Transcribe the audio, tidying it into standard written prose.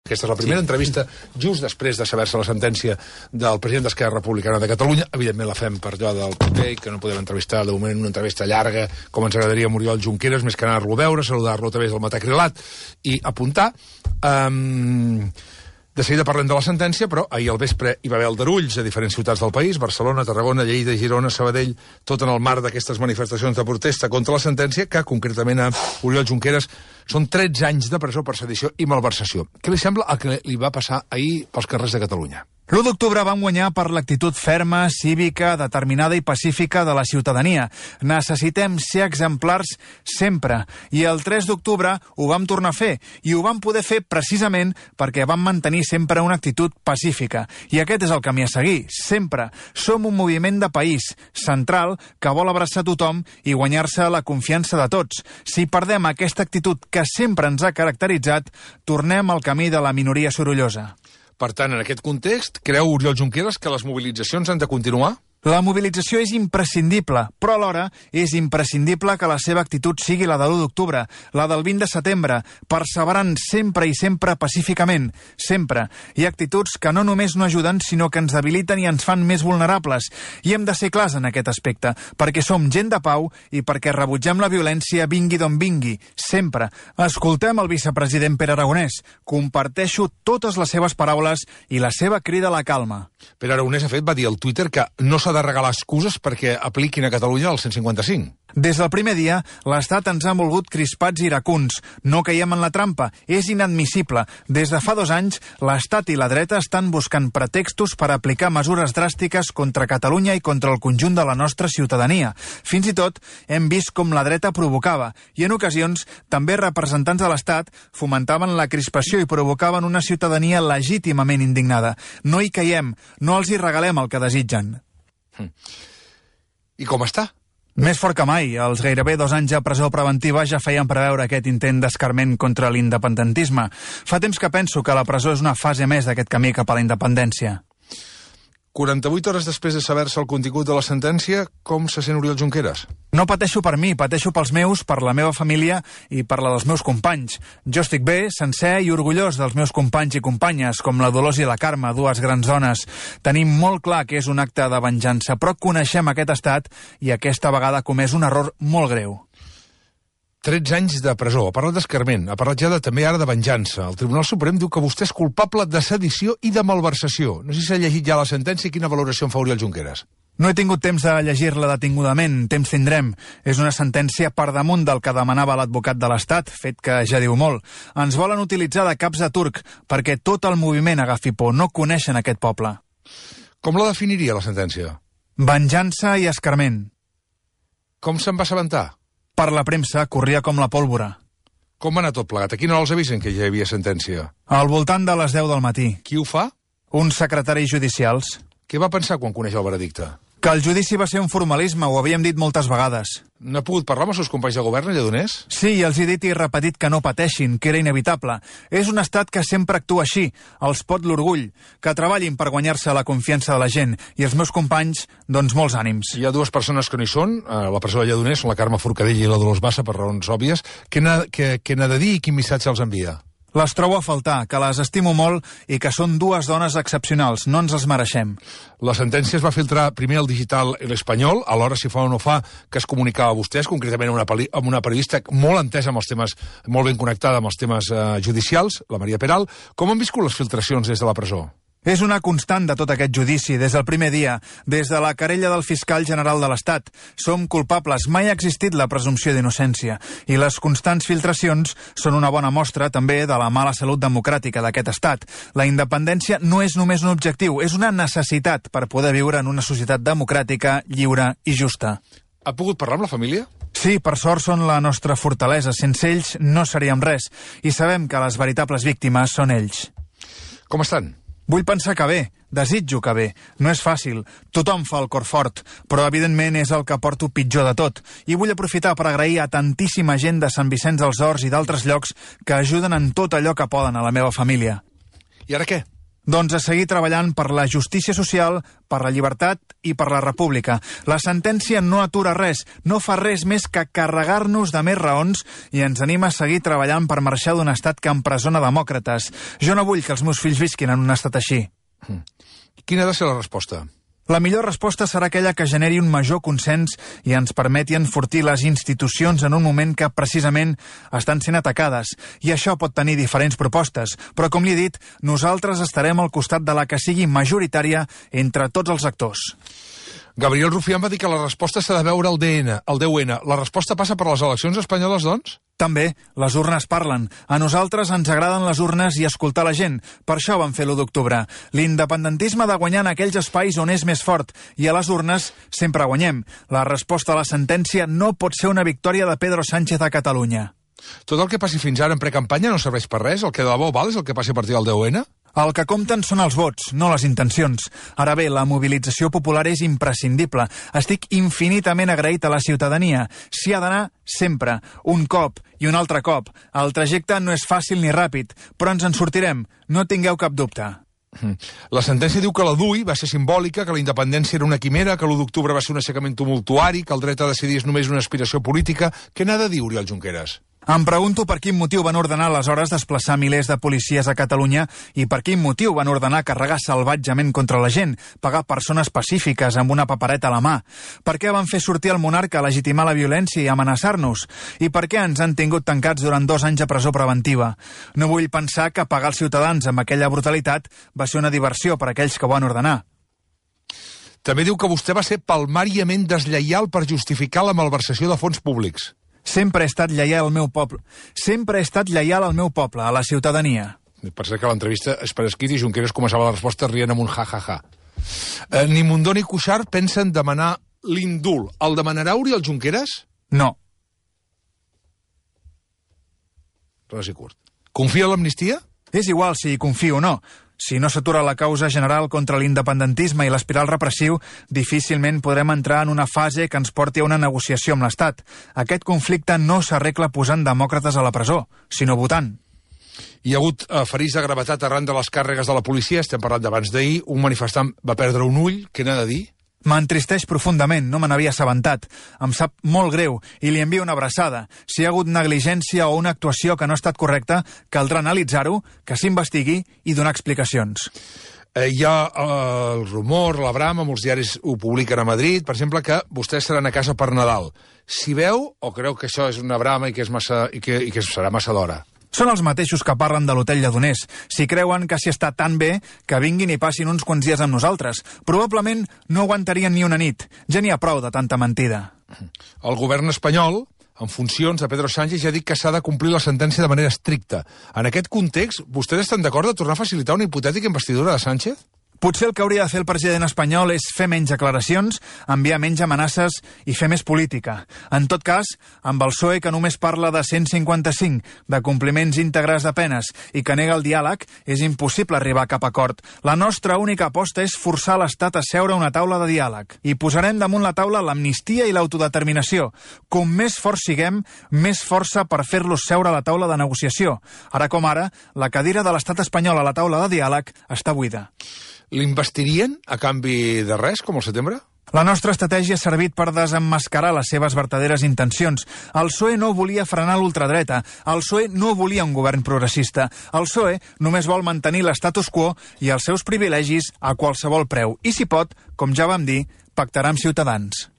Aquesta és la primera entrevista just després de saber-se la sentència del president d'Esquerra Republicana de Catalunya. Evidentment la fem per allò del paper, que no podem entrevistar de moment una entrevista llarga, com ens agradaria Oriol Junqueras, més que anar-lo a veure, saludar-lo a través del matacrilat i apuntar. De seguida parlem de la sentència, però ahir al vespre hi va haver aldarulls a diferents ciutats del país, Barcelona, Tarragona, Lleida, Girona, Sabadell, tot en el marc d'aquestes manifestacions de protesta contra la sentència, que concretament a Oriol Junqueras són 13 anys de presó per sedició i malversació. Què li sembla el que li va passar ahir pels carrers de Catalunya? L'1 d'octubre vam guanyar per l'actitud ferma, cívica, determinada i pacífica de la ciutadania. Necessitem ser exemplars sempre. I el 3 d'octubre ho vam tornar a fer. I ho vam poder fer precisament perquè vam mantenir sempre una actitud pacífica. I aquest és el camí a seguir, sempre. Som un moviment de país, central, que vol abraçar tothom i guanyar-se la confiança de tots. Si perdem aquesta actitud que sempre ens ha caracteritzat, tornem al camí de la minoria sorollosa. Per tant, en aquest context, creu Oriol Junqueras que les mobilitzacions han de continuar? La mobilització és imprescindible, però alhora és imprescindible que la seva actitud sigui la de l'1 d'octubre, la del 20 de setembre, perseverant sempre i sempre pacíficament, sempre. Hi ha actituds que no només no ajuden, sinó que ens debiliten i ens fan més vulnerables. I hem de ser clars en aquest aspecte, perquè som gent de pau i perquè rebutgem la violència vingui d'on vingui, sempre. Escoltem el vicepresident Pere Aragonès. Comparteixo totes les seves paraules i la seva crida a la calma. Pere Aragonès, de fet, va dir al Twitter que no s'ha de regalar excuses perquè apliquin a Catalunya el 155. Des del primer dia, l'Estat ens ha volgut crispats i iracuns. No caiem en la trampa. És inadmissible. Des de fa 2 anys, l'Estat i la dreta estan buscant pretextos per aplicar mesures dràstiques contra Catalunya i contra el conjunt de la nostra ciutadania. Fins i tot, hem vist com la dreta provocava. I en ocasions, també representants de l'Estat fomentaven la crispació i provocaven una ciutadania legítimament indignada. No hi caiem. No els hi regalem el que desitgen. I com està? Més fort que mai. Els gairebé 2 anys de presó preventiva ja feien preveure aquest intent d'escarment contra l'independentisme. Fa temps que penso que la presó és una fase més d'aquest camí cap a la independència. 48 hores després de saber-se el contingut de la sentència, com se sent Oriol Junqueras? No pateixo per mi, pateixo pels meus, per la meva família i per la dels meus companys. Jo estic bé, sencer i orgullós dels meus companys i companyes, com la Dolors i la Carme, 2 grans dones. Tenim molt clar que és un acte de venjança, però coneixem aquest estat i aquesta vegada ha comès un error molt greu. 13 anys de presó, ha parlat d'escarment, ha parlat ja també ara de venjança. El Tribunal Suprem diu que vostè és culpable de sedició i de malversació. No sé si s'ha llegit ja la sentència i quina valoració en fa Oriol Junqueras. No he tingut temps de llegir-la detingudament, temps tindrem. És una sentència per damunt del que demanava l'advocat de l'Estat, fet que ja diu molt. Ens volen utilitzar de caps de turc perquè tot el moviment agafi por, no coneixen aquest poble. Com la definiria la sentència? Venjança i escarment. Com se'n va assabentar? Per la premsa corria com la pólvora. Com va anar tot plegat? A quina hora els avisen que ja hi havia sentència? Al voltant de les 10 del matí. Qui ho fa? Uns secretaris judicials. Què va pensar quan coneix el veredicte? Que el judici va ser un formalisme, ho havíem dit moltes vegades. No ha pogut parlar amb els seus companys de govern, Lledoners? Sí, els he dit i repetit que no pateixin, que era inevitable. És un estat que sempre actua així, els pot l'orgull, que treballin per guanyar-se la confiança de la gent, i els meus companys, doncs molts ànims. Hi ha 2 persones que no hi són, a la presó de Lledoners, són la Carme Forcadell i la Dolors Bassa, per raons òbvies. Què n'ha de dir i quin missatge els envia? Les trobo a faltar, que les estimo molt i que són 2 dones excepcionals, no ens les mereixem. La sentència es va filtrar primer al Digital i l'Espanyol, alhora si fa o no fa que es comunicava a vostès, concretament amb una periodista molt entesa amb els temes, molt ben connectada amb els temes judicials, la Maria Peral. Com han viscut les filtracions des de la presó? És una constant de tot aquest judici, des del primer dia, des de la querella del fiscal general de l'Estat. Som culpables, mai ha existit la presumpció d'innocència, i les constants filtracions són una bona mostra també de la mala salut democràtica d'aquest estat. La independència no és només un objectiu, és una necessitat per poder viure en una societat democràtica, lliure i justa. Ha pogut parlar amb la família? Sí, per sort són la nostra fortalesa. Sense ells no seríem res, i sabem que les veritables víctimes són ells. Com estan? Vull pensar que bé, desitjo que bé. No és fàcil, tothom fa el cor fort, però evidentment és el que porto pitjor de tot. I vull aprofitar per agrair a tantíssima gent de Sant Vicenç dels Horts i d'altres llocs que ajuden en tot allò que poden a la meva família. I ara què? Doncs a seguir treballant per la justícia social, per la llibertat i per la república. La sentència no atura res, no fa res més que carregar-nos de més raons i ens anima a seguir treballant per marxar d'un estat que empresona demòcrates. Jo no vull que els meus fills visquin en un estat així. Quina ha de ser la resposta? La millor resposta serà aquella que generi un major consens i ens permeti enfortir les institucions en un moment que precisament estan sent atacades. I això pot tenir diferents propostes, però com li he dit, nosaltres estarem al costat de la que sigui majoritària entre tots els actors. Gabriel Rufián va dir que la resposta s'ha de veure al DUN. La resposta passa per les eleccions espanyoles, doncs? També, les urnes parlen. A nosaltres ens agraden les urnes i escoltar la gent. Per això vam fer l'1 d'octubre. L'independentisme ha de guanyar en aquells espais on és més fort, i a les urnes sempre guanyem. La resposta a la sentència no pot ser una victòria de Pedro Sánchez a Catalunya. Tot el que passi fins ara en precampanya no serveix per res? El que de debò val és el que passi a partir del DUN? El que compten són els vots, no les intencions. Ara bé, la mobilització popular és imprescindible. Estic infinitament agraït a la ciutadania. S'hi ha d'anar sempre, un cop i un altre cop. El trajecte no és fàcil ni ràpid, però ens en sortirem, no tingueu cap dubte. La sentència diu que la DUI va ser simbòlica, que la independència era una quimera, que l'1 d'octubre va ser un aixecament tumultuari, que el dret a decidir és només una aspiració política. Què n'ha de dir Oriol Junqueras? Em pregunto per quin motiu van ordenar aleshores desplaçar milers de policies a Catalunya i per quin motiu van ordenar carregar salvatgement contra la gent, pagar persones pacífiques amb una papereta a la mà. Per què van fer sortir el monarca a legitimar la violència i amenaçar-nos? I per què ens han tingut tancats durant 2 anys a presó preventiva? No vull pensar que pagar els ciutadans amb aquella brutalitat va ser una diversió per a aquells que ho van ordenar. També diu que vostè va ser palmàriament deslleial per justificar la malversació de fons públics. Sempre he estat lleial al meu poble. Sempre he estat lleial al meu poble, a la ciutadania. Per cert que l'entrevista és per escrit i Junqueras començava la resposta rient amb un ja-ja-ja. Ni Mundó ni Cuixart pensen demanar l'indult. El demanarà Oriol Junqueras? No. Res i curt. Confia en l'amnistia? És igual si hi confio o no. Si no s'atura la causa general contra l'independentisme i l'espiral repressiu, difícilment podrem entrar en una fase que ens porti a una negociació amb l'Estat. Aquest conflicte no s'arregla posant demòcrates a la presó, sinó votant. Hi ha hagut ferits de gravetat arran de les càrregues de la policia, estem parlant d'abans d'ahir, un manifestant va perdre un ull, què n'ha de dir? M'entristeix profundament, no me n'havia assabentat. Em sap molt greu i li envio una abraçada. Si hi ha hagut negligència o una actuació que no ha estat correcta, caldrà analitzar-ho, que s'investigui i donar explicacions. Hi ha el rumor, la brama, molts diaris ho publiquen a Madrid, per exemple, que vostès seran a casa per Nadal. Si veu o creu que això és una brama i que serà massa d'hora? Són els mateixos que parlen de l'hotel Lledoners. Si creuen que s'hi està tan bé, que vinguin i passin uns quants dies amb nosaltres. Probablement no aguantarien ni una nit. Ja n'hi ha prou de tanta mentida. El govern espanyol, en funcions de Pedro Sánchez, ja ha dit que s'ha de complir la sentència de manera estricta. En aquest context, vostès estan d'acord de tornar a facilitar una hipotètica investidura de Sánchez? Potser el que hauria de fer el president espanyol és fer menys declaracions, enviar menys amenaces i fer més política. En tot cas, amb el PSOE que només parla de 155, de compliments íntegres de penes i que nega el diàleg, és impossible arribar a cap acord. La nostra única aposta és forçar l'Estat a seure a una taula de diàleg. I posarem damunt la taula l'amnistia i l'autodeterminació. Com més forts siguem, més força per fer-los seure a la taula de negociació. Ara com ara, la cadira de l'Estat espanyol a la taula de diàleg està buida. L'investirien a canvi de res, com al setembre? La nostra estratègia ha servit per desemmascarar les seves verdaderes intencions. El PSOE no volia frenar l'ultradreta. El PSOE no volia un govern progressista. El PSOE només vol mantenir l'estatus quo i els seus privilegis a qualsevol preu. I si pot, com ja vam dir, pactarà amb Ciutadans.